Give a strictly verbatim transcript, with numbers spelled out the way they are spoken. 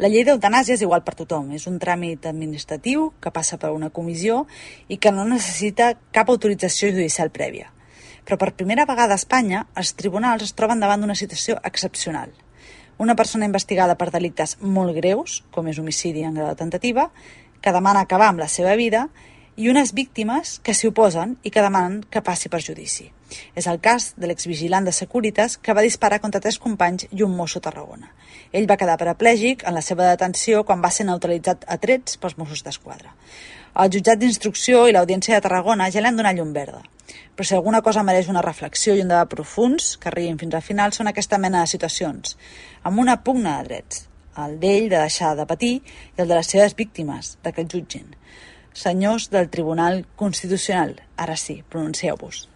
La llei d'eutanàsia és igual per tothom. És un tràmit administratiu que passa per una comissió i que no necessita cap autorització judicial prèvia. Però per primera vegada a Espanya, els tribunals es troben davant d'una situació excepcional. Una persona investigada per delictes molt greus, com és homicidi en grau de tentativa, que demana acabar amb la seva vida, i unes víctimes que s'hi oposen i que demanen que passi per judici. És el cas de l'exvigilant de Securitas que va disparar contra tres companys i un mosso a Tarragona. Ell va quedar paraplègic en la seva detenció quan va ser neutralitzat a trets pels Mossos d'Esquadra. El jutjat d'instrucció i l'Audiència de Tarragona ja li han donat llum verda. Però si alguna cosa mereix una reflexió i un debat profuns, que arribin fins al final, són aquesta mena de situacions, amb una pugna de drets, el d'ell de deixar de patir i el de les seves víctimes, de que el jutgin. Senyors del Tribunal Constitucional, ara sí, pronuncieu-vos.